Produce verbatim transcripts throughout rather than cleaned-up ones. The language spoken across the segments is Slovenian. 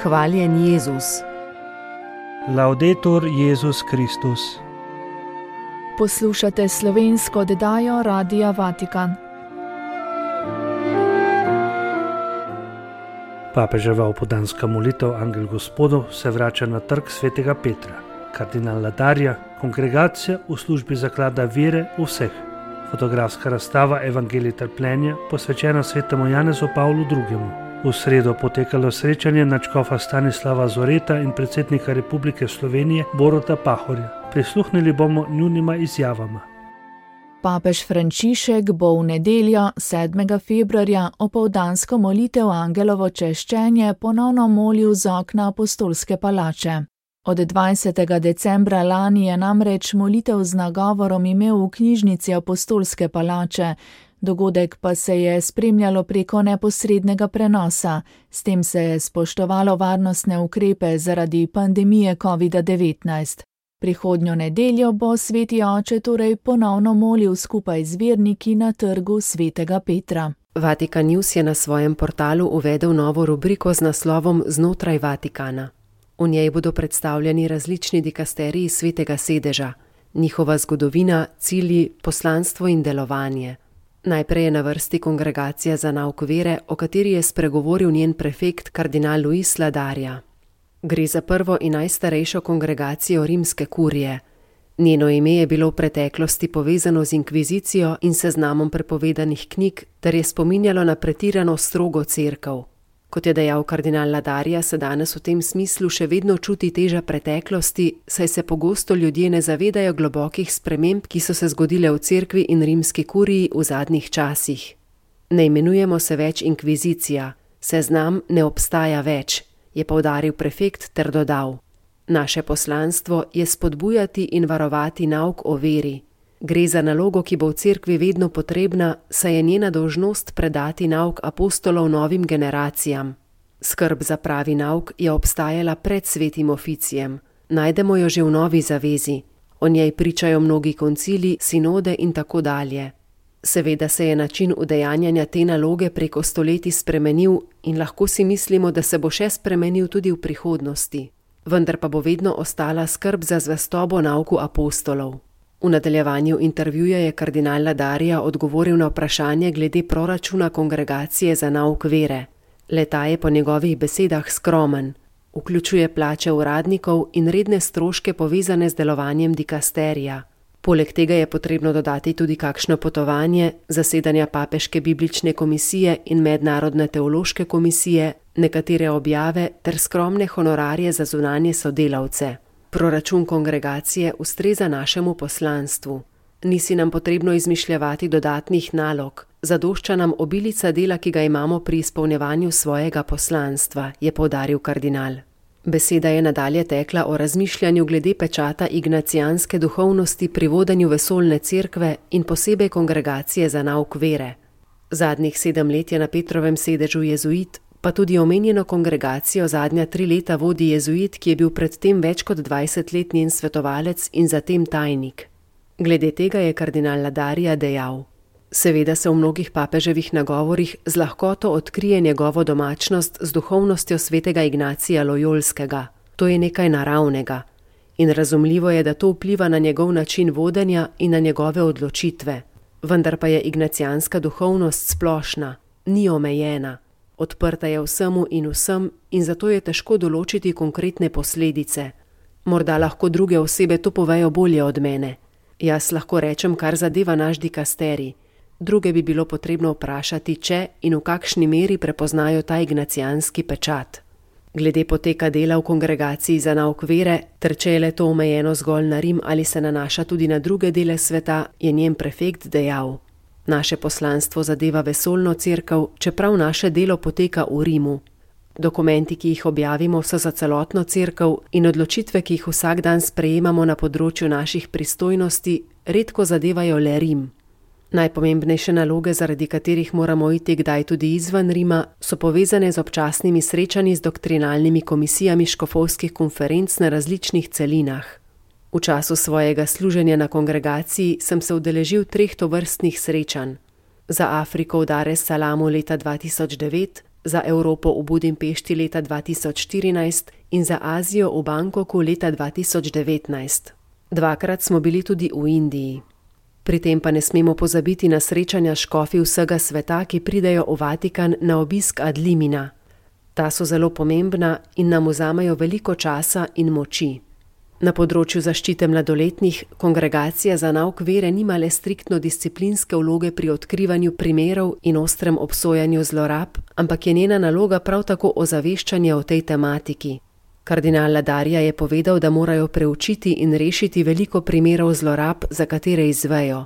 Hvaljen Jezus. Laudetur Jezus Kristus. Poslušate slovensko oddajo Radia Vatikan. Papeževa opoldanska molitev Angel Gospodov se vrača na trg svetega Petra. Kardinal Ladarja, kongregacija v službi zaklada vere vseh. Fotografska razstava Evangelij trpljenja, posvečena svetemu Janezu Pavlu drugemu. V sredo potekalo srečanje nadškofa Stanislava Zoreta in predsednika Republike Slovenije Boruta Pahorja. Prisluhnili bomo njunima izjavama. Papež Frančišek bo v nedeljo, sedmega februarja, opoldansko molitev Angelovo češčenje ponovno molil z okna apostolske palače. Od dvajsetega decembra lani je namreč molitev z nagovorom imel v knjižnici apostolske palače, dogodek pa se je spremljalo preko neposrednega prenosa, s tem se je spoštovalo varnostne ukrepe zaradi pandemije kovida devetnajst. Prihodnjo nedeljo bo sveti oče torej ponovno molil skupaj z verniki na trgu svetega Petra. Vatikan News je na svojem portalu uvedel novo rubriko z naslovom Znotraj Vatikana. V njej bodo predstavljeni različni dikasteriji svetega sedeža, njihova zgodovina, cilji, poslanstvo in delovanje. Najprej je na vrsti kongregacija za nauk vere, o kateri je spregovoril njen prefekt kardinal Luis Ladarja. Gre za prvo in najstarejšo kongregacijo rimske kurije. Njeno ime je bilo v preteklosti povezano z inkvizicijo in seznamom prepovedanih knjig, ter je spominjalo na pretirano strogo cerkev. Kot je dejal kardinal Ladarja, se danes v tem smislu še vedno čuti teža preteklosti, saj se pogosto ljudje ne zavedajo globokih sprememb, ki so se zgodile v cerkvi in rimski kuriji v zadnjih časih. Ne imenujemo se več inkvizicija, seznam ne obstaja več, je poudaril prefekt ter dodal. Naše poslanstvo je spodbujati in varovati nauk o veri. Gre za nalogo, ki bo v cerkvi vedno potrebna, saj je njena dolžnost predati nauk apostolov novim generacijam. Skrb za pravi nauk je obstajala pred svetim oficijem. Najdemo jo že v Novi zavezi. O njej pričajo mnogi koncili, sinode in tako dalje. Seveda se je način udejanjanja te naloge preko stoletij spremenil in lahko si mislimo, da se bo še spremenil tudi v prihodnosti. Vendar pa bo vedno ostala skrb za zvestobo nauku apostolov. V nadaljevanju intervjuja je kardinal Ladarja odgovoril na vprašanje glede proračuna kongregacije za nauk vere. Le-ta je po njegovih besedah skromen. Vključuje plače uradnikov in redne stroške povezane z delovanjem dikasterija. Poleg tega je potrebno dodati tudi kakšno potovanje, zasedanja papeške biblične komisije in mednarodne teološke komisije, nekatere objave ter skromne honorarje za zunanje sodelavce. Proračun kongregacije ustreza našemu poslanstvu. Nisi nam potrebno izmišljevati dodatnih nalog, zadošča nam obilica dela, ki ga imamo pri izpolnjevanju svojega poslanstva, je poudaril kardinal. Beseda je nadalje tekla o razmišljanju glede pečata ignacijanske duhovnosti pri vodenju vesoljne cerkve in posebej kongregacije za nauk vere. Zadnjih sedem let je na Petrovem sedežu jezuit, pa tudi omenjeno kongregacijo zadnja tri leta vodi jezuit, ki je bil predtem več kot dvajset let njen svetovalec in zatem tajnik. Glede tega je kardinal Ladarja dejal: Seveda se v mnogih papeževih nagovorih z lahkoto odkrije njegovo domačnost z duhovnostjo svetega Ignacija Lojolskega. To je nekaj naravnega. In razumljivo je, da to vpliva na njegov način vodenja in na njegove odločitve. Vendar pa je ignacijanska duhovnost splošna, ni omejena. Odprta je vsemu in vsem in zato je težko določiti konkretne posledice. Morda lahko druge osebe to povejo bolje od mene. Jaz lahko rečem, kar zadeva naš dikasterij. Druge bi bilo potrebno vprašati, če in v kakšni meri prepoznajo ta ignacijanski pečat. Glede poteka dela v kongregaciji za nauk vere, ter če je le to omejeno zgolj na Rim ali se nanaša tudi na druge dele sveta, je njen prefekt dejal: Naše poslanstvo zadeva vesoljno cerkev, čeprav naše delo poteka v Rimu. Dokumenti, ki jih objavimo, so za celotno cerkev in odločitve, ki jih vsak dan sprejemamo na področju naših pristojnosti, redko zadevajo le Rim. Najpomembnejše naloge, zaradi katerih moramo iti kdaj tudi izven Rima, so povezane z občasnimi srečanji z doktrinalnimi komisijami škofovskih konferenc na različnih celinah. V času svojega služenja na kongregaciji sem se udeležil treh tovrstnih srečanj. Za Afriko v Dar es Salamu leta dva tisoč devet, za Evropo v Budimpešti leta dva tisoč štirinajst in za Azijo v Bangkoku leta dva tisoč devetnajst. Dvakrat smo bili tudi v Indiji. Pri tem pa ne smemo pozabiti na srečanja škofi vsega sveta, ki pridejo v Vatikan na obisk ad limina. Ta so zelo pomembna in nam vzamejo veliko časa in moči. Na področju zaščite mladoletnih kongregacija za nauk vere nima le striktno disciplinske vloge pri odkrivanju primerov in ostrem obsojanju zlorab, ampak je njena naloga prav tako ozaveščanje o tej tematiki. Kardinal Ladarja je povedal, da morajo preučiti in rešiti veliko primerov zlorab, za katere izvejo.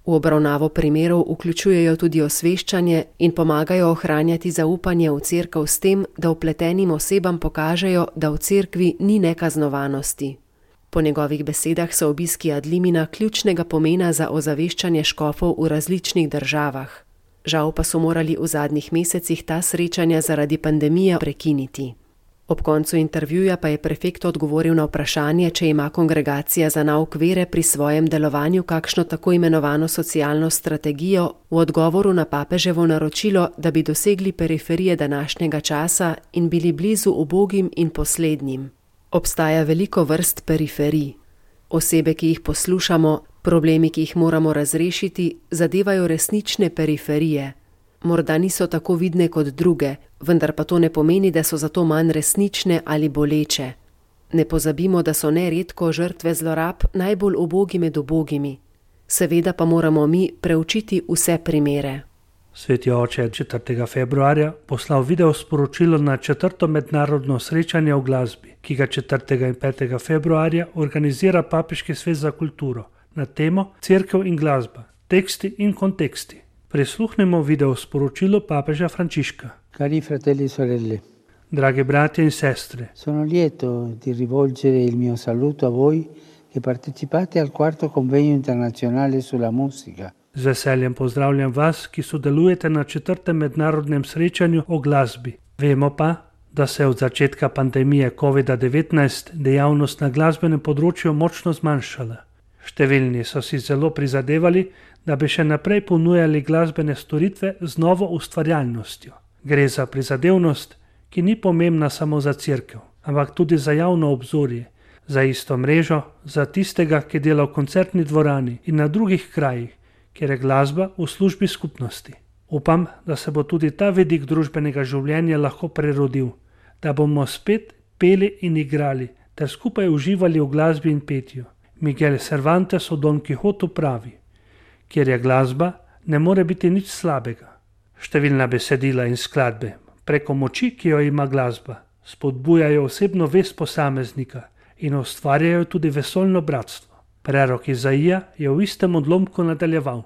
V obravnavo primerov vključujejo tudi osveščanje in pomagajo ohranjati zaupanje v cerkev s tem, da vpletenim osebam pokažejo, da v cerkvi ni nekaznovanosti. Po njegovih besedah so obiski ad limina ključnega pomena za ozaveščanje škofov v različnih državah. Žal pa so morali v zadnjih mesecih ta srečanja zaradi pandemije prekiniti. Ob koncu intervjuja pa je prefekt odgovoril na vprašanje, če ima kongregacija za nauk vere pri svojem delovanju kakšno tako imenovano socialno strategijo v odgovoru na papeževo naročilo, da bi dosegli periferije današnjega časa in bili blizu ubogim in poslednjim. Obstaja veliko vrst periferij. Osebe, ki jih poslušamo, problemi, ki jih moramo razrešiti, zadevajo resnične periferije. Morda niso tako vidne kot druge, vendar pa to ne pomeni, da so zato manj resnične ali boleče. Ne pozabimo, da so neredko žrtve zlorab najbolj ubogi med ubogimi. Seveda pa moramo mi preučiti vse primere. Sveti oče je četrtega februarja poslal video sporočilo na četrto mednarodno srečanje o glasbi, ki ga četrtega in petega februarja organizira Papeški svet za kulturo na temo Cerkev in glasba, teksti in konteksti. Prisluhnimo video sporočilo papeža Frančiška. Cari fratelli e sorelle, Dragi bratje in sestre, sono lieto di rivolgere il mio saluto a voi che partecipate al quarto convegno internazionale sulla musica. Z veseljem pozdravljam vas, ki sodelujete na četrtem mednarodnem srečanju o glasbi. Vemo pa, da se je od začetka pandemije kovida devetnajst dejavnost na glasbenem področju močno zmanjšala. Številni so si zelo prizadevali, da bi še naprej ponujali glasbene storitve z novo ustvarjalnostjo. Gre za prizadevnost, ki ni pomembna samo za cerkev, ampak tudi za javno obzorje, za isto mrežo, za tistega, ki dela v koncertni dvorani in na drugih krajih, kjer je glasba v službi skupnosti. Upam, da se bo tudi ta vidik družbenega življenja lahko prerodil, da bomo spet peli in igrali ter skupaj uživali v glasbi in petju. Miguel Cervantes o Don Quijotu pravi: kjer je glasba, ne more biti nič slabega. Številna besedila in skladbe, preko moči, ki jo ima glasba, spodbujajo osebno vest posameznika in ustvarjajo tudi vesoljno bratstvo. Prerok Izaija je v istem odlomku nadaljeval: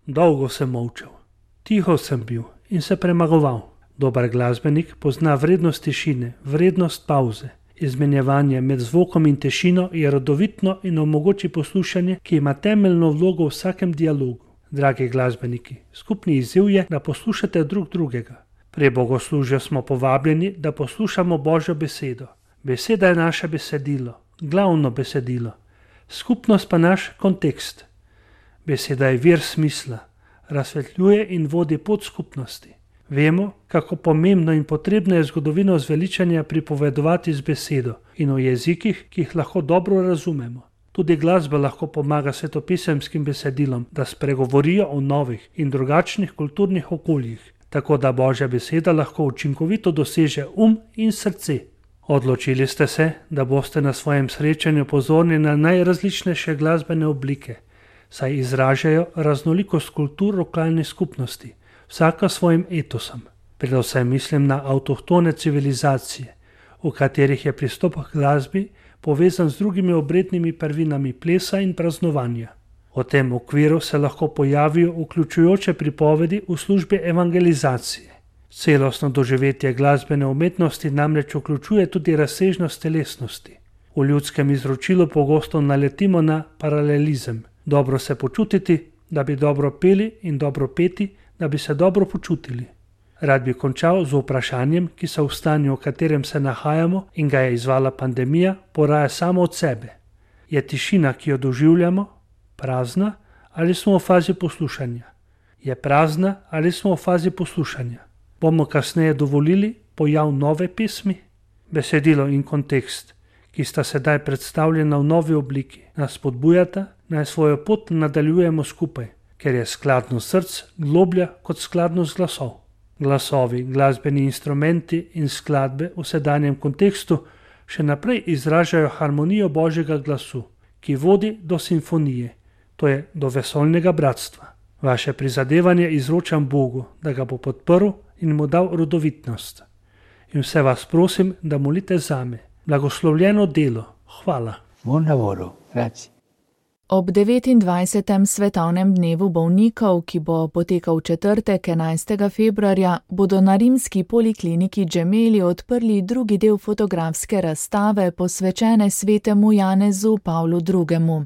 dolgo sem molčal, tiho sem bil in se premagoval. Dober glasbenik pozna vrednost tišine, vrednost pauze. Izmenjevanje med zvokom in tišino je rodovitno in omogoči poslušanje, ki ima temeljno vlogo v vsakem dialogu. Dragi glasbeniki, skupni izziv je, da poslušate drug drugega. Pri bogoslužju smo povabljeni, da poslušamo Božjo besedo. Beseda je naše besedilo, glavno besedilo. Skupnost pa naš kontekst. Beseda je vir smisla, razsvetljuje in vodi pot skupnosti. Vemo, kako pomembno in potrebno je zgodovino zveličanja pripovedovati z besedo in v jezikih, ki jih lahko dobro razumemo. Tudi glasba lahko pomaga svetopisemskim besedilom, da spregovorijo o novih in drugačnih kulturnih okoljih, tako da Božja beseda lahko učinkovito doseže um in srce. Odločili ste se, da boste na svojem srečanju pozorni na najrazličnejše glasbene oblike, saj izražajo raznolikost kultur lokalne skupnosti, vsaka svojim etosom. Predvsem mislim na avtohtone civilizacije, v katerih je pristop k glasbi povezan z drugimi obrednimi prvinami plesa in praznovanja. V tem okviru se lahko pojavijo vključujoče pripovedi v službi evangelizacije. Celostno doživetje glasbene umetnosti namreč vključuje tudi razsežnost telesnosti. V ljudskem izročilu pogosto naletimo na paralelizem. Dobro se počutiti, da bi dobro peli, in dobro peti, da bi se dobro počutili. Rad bi končal z vprašanjem, ki se v stanju, v katerem se nahajamo in ga je izvala pandemija, poraja samo od sebe. Je tišina, ki jo doživljamo, prazna ali smo v fazi poslušanja? Je prazna ali smo v fazi poslušanja? Bomo kasneje dovolili pojav nove pesmi? Besedilo in kontekst, ki sta sedaj predstavljena v novi obliki, nas spodbujata, naj svojo pot nadaljujemo skupaj, ker je skladnost src globlja kot skladnost glasov. Glasovi, glasbeni instrumenti in skladbe v sedanjem kontekstu še naprej izražajo harmonijo Božjega glasu, ki vodi do simfonije, to je do vesoljnega bratstva. Vaše prizadevanje izročam Bogu, da ga bo podprl in mu dal rodovitnost. In vse vas prosim, da molite zame. Blagoslovljeno delo. Hvala. Buon lavoro. Grazie. Ob devetindvajsetem svetovnem dnevu bolnikov, ki bo potekal v četrtek enajstega februarja, bodo na rimski polikliniki Gemelli odprli drugi del fotografske razstave posvečene svetemu Janezu Pavlu drugemu.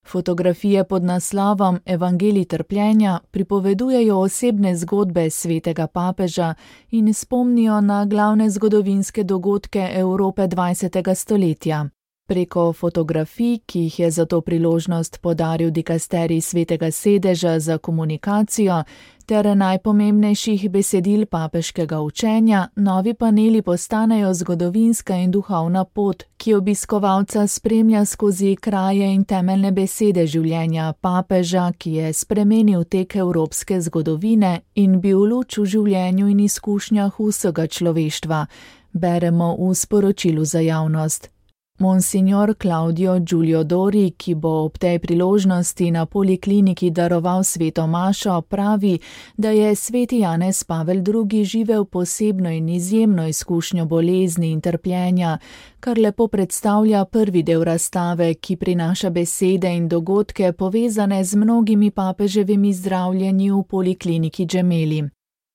Fotografije pod naslovom Evangelij trpljenja pripovedujejo osebne zgodbe svetega papeža in spomnijo na glavne zgodovinske dogodke Evrope dvajsetega stoletja. Preko fotografij, ki jih je za to priložnost podaril dikasterij Svetega sedeža za komunikacijo, ter najpomembnejših besedil papeškega učenja, novi paneli postanejo zgodovinska in duhovna pot, ki obiskovalca spremlja skozi kraje in temeljne besede življenja papeža, ki je spremenil tek evropske zgodovine in bil luč v življenju in izkušnjah vsega človeštva, beremo v sporočilu za javnost. Monsignor Claudio Giulio Dori, ki bo ob tej priložnosti na polikliniki daroval sveto mašo, pravi, da je sveti Janez Pavel drugi živel posebno in izjemno izkušnjo bolezni in trpljenja, kar lepo predstavlja prvi del razstave, ki prinaša besede in dogodke povezane z mnogimi papeževimi zdravljenji v polikliniki Gemelli.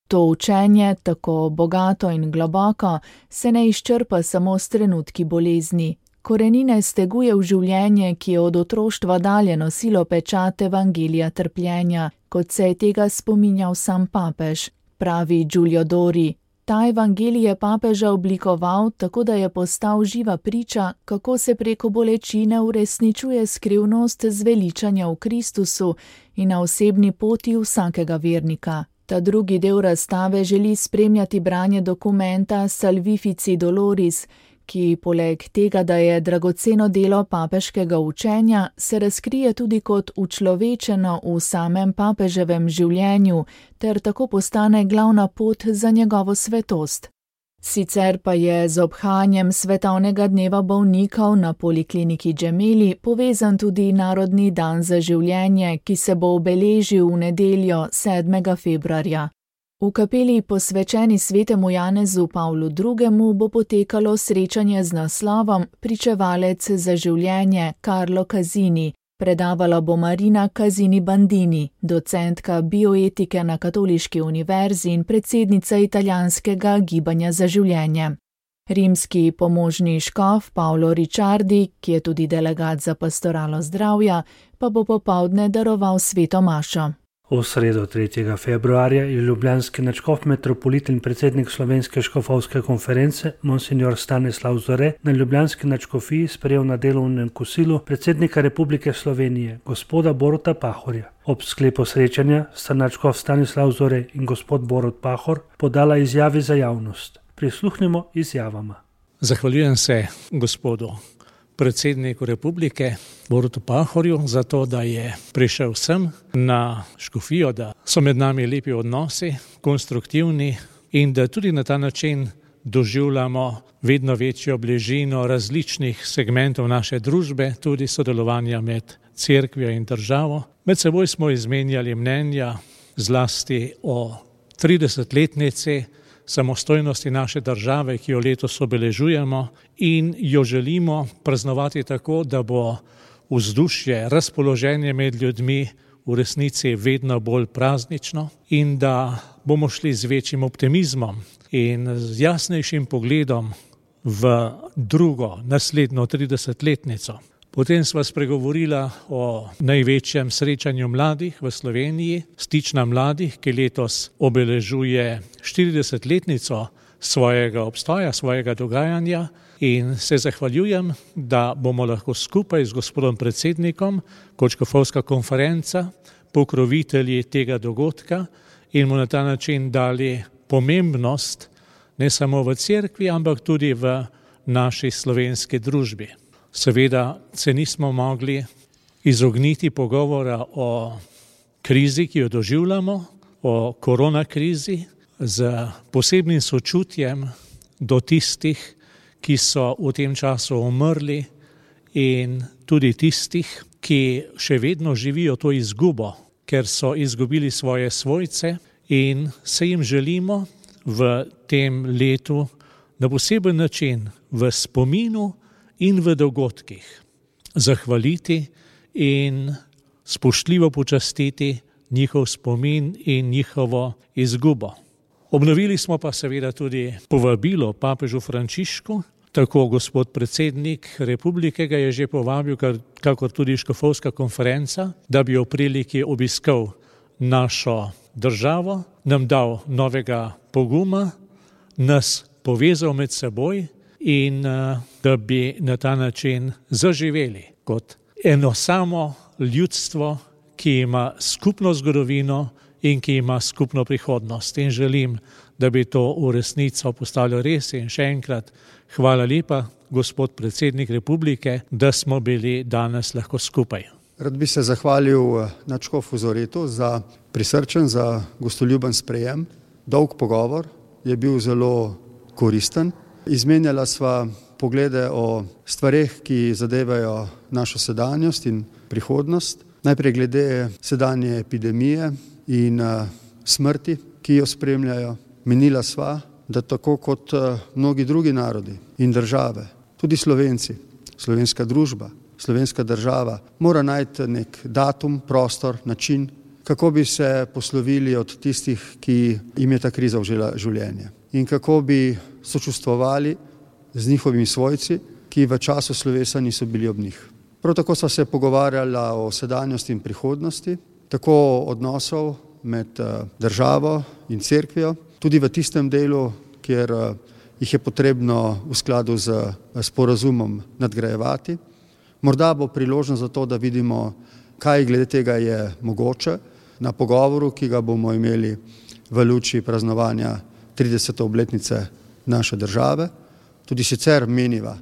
To učenje, tako bogato in globoko, se ne izčrpa samo s trenutki bolezni. Korenine steguje v življenje, ki je od otroštva dalje nosilo pečat evangelija trpljenja, kot se je tega spominjal sam papež, pravi Giulio Dori. Ta evangelij je papeža oblikoval tako, da je postal živa priča, kako se preko bolečine uresničuje skrivnost zveličanja v Kristusu in na osebni poti vsakega vernika. Ta drugi del razstave želi spremljati branje dokumenta Salvifici Doloris, ki poleg tega, da je dragoceno delo papeškega učenja, se razkrije tudi kot učlovečeno v samem papeževem življenju, ter tako postane glavna pot za njegovo svetost. Sicer pa je z obhajanjem svetovnega dneva bolnikov na polikliniki Gemelli povezan tudi Narodni dan za življenje, ki se bo obeležil v nedeljo sedmega februarja. V kapeli posvečeni svetemu Janezu Pavlu drugemu bo potekalo srečanje z naslovom Pričevalec za življenje Carlo Casini. Predavala bo Marina Casini Bandini, docentka bioetike na Katoliški univerzi in predsednica italijanskega gibanja za življenje. Rimski pomožni škof Paolo Ricciardi, ki je tudi delegat za pastoralo zdravja, pa bo popoldne daroval sveto mašo. V sredo tretjega februarja je ljubljanski nadškof metropolit in predsednik Slovenske škofovske konference Monsignor Stanislav Zore na ljubljanski nadškofiji sprejel na delovnem kosilu predsednika Republike Slovenije, gospoda Boruta Pahorja. Ob sklepu srečanja sta nadškof Stanislav Zore in gospod Borut Pahor podala izjavi za javnost. Prisluhnimo izjavama. Zahvaljujem se gospodu predsedniku Republike Borutu Pahorju za to, da je prišel sem na škofijo, da so med nami lepi odnosi, konstruktivni in da tudi na ta način doživljamo vedno večjo bližino različnih segmentov naše družbe, tudi sodelovanja med cerkvijo in državo. Med seboj smo izmenjali mnenja zlasti o tridesetletnici samostojnosti naše države, ki jo letos obeležujemo in jo želimo praznovati tako, da bo vzdušje, razpoloženje med ljudmi v resnici vedno bolj praznično in da bomo šli z večjim optimizmom in z jasnejšim pogledom v drugo, naslednjo tridesetletnico. Potem sva spregovorila o največjem srečanju mladih v Sloveniji, Stična mladih, ki letos obeležuje štiridesetletnico svojega obstoja, svojega dogajanja in se zahvaljujem, da bomo lahko skupaj z gospodom predsednikom kot škofovska konferenca pokrovitelji tega dogodka in mu na ta način dali pomembnost ne samo v cerkvi, ampak tudi v naši slovenski družbi. Seveda se nismo mogli izogniti pogovora o krizi, ki jo doživljamo, o koronakrizi, z posebnim sočutjem do tistih, ki so v tem času umrli in tudi tistih, ki še vedno živijo to izgubo, ker so izgubili svoje svojce in se jim želimo v tem letu na poseben način v spominu in v dogodkih zahvaliti in spoštljivo počastiti njihov spomin in njihovo izgubo. Obnovili smo pa seveda tudi povabilo papežu Frančišku, tako gospod predsednik republike ga je že povabil, kakor tudi škofovska konferenca, da bi v priliki obiskal našo državo, nam dal novega poguma, nas povezal med seboj in da bi na ta način zaživeli kot eno samo ljudstvo, ki ima skupno zgodovino in ki ima skupno prihodnost. In želim, da bi to v resnico postalo res. In še enkrat hvala lepa, gospod predsednik republike, da smo bili danes lahko skupaj. Rad bi se zahvalil nadškofu Zoretu za prisrčen, za gostoljuben sprejem. Dolg pogovor je bil zelo koristen. Izmenjala sva poglede o stvareh, ki zadevajo našo sedanjost in prihodnost. Najprej glede sedanje epidemije in smrti, ki jo spremljajo. Menila sva, da tako kot mnogi drugi narodi in države, tudi Slovenci, slovenska družba, slovenska država, mora najti nek datum, prostor, način, kako bi se poslovili od tistih, ki jim je ta kriza vzela življenje. In kako bi sočustvovali z njihovimi svojci, ki v času slovesa niso bili ob njih. Prav tako sva se pogovarjala o sedanjosti in prihodnosti, tako odnosov med državo in cerkvijo, tudi v tistem delu, kjer jih je potrebno v skladu z sporazumom nadgrajevati. Morda bo priložnost za to, da vidimo, kaj glede tega je mogoče na pogovoru, ki ga bomo imeli v luči praznovanja tridesete obletnice naše države. Tudi sicer meniva,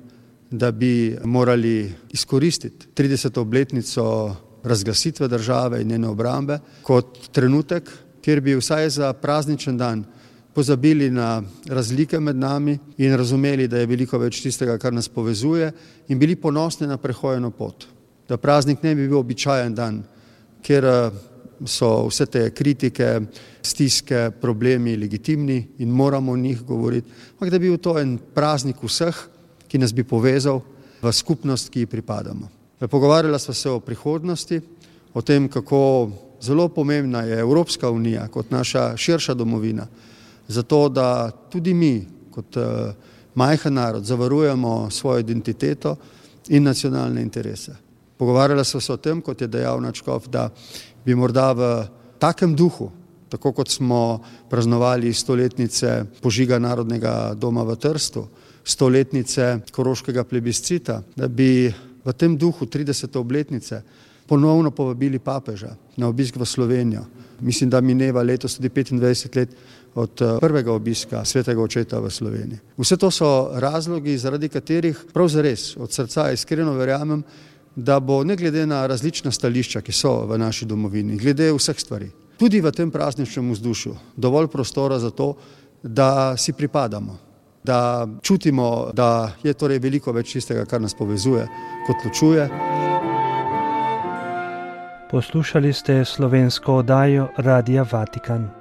da bi morali izkoristiti trideseto obletnico razglasitve države in njene obrambe kot trenutek, kjer bi vsaj za prazničen dan pozabili na razlike med nami in razumeli, da je veliko več tistega, kar nas povezuje, in bili ponosni na prehojeno pot. Da praznik ne bi bil običajen dan, kjer so vse te kritike, stiske, problemi legitimni in moramo o njih govoriti, ampak da bi bil to en praznik vseh, ki nas bi povezal v skupnost, ki ji pripadamo. Pogovarjala sva se o prihodnosti, o tem, kako zelo pomembna je Evropska unija kot naša širša domovina, zato da tudi mi kot majhen narod zavarujemo svojo identiteto in nacionalne interese. Pogovarjala sva se o tem, kot je dejal nadškof, da bi morda v takem duhu, tako kot smo praznovali stoletnice požiga Narodnega doma v Trstu, stoletnice koroškega plebiscita, da bi v tem duhu tridesete obletnice ponovno povabili papeža na obisk v Slovenijo. Mislim, da mineva letos tudi petindvajset let od prvega obiska svetega očeta v Sloveniji. Vse to so razlogi, zaradi katerih prav zares od srca iskreno verjamem, da bo ne glede na različna stališča, ki so v naši domovini, glede vseh stvari, tudi v tem prazničnem vzdušju dovolj prostora za to, da si pripadamo, da čutimo, da je torej veliko več tistega, kar nas povezuje, kot ločuje. Poslušali ste slovensko oddajo Radia Vatikan.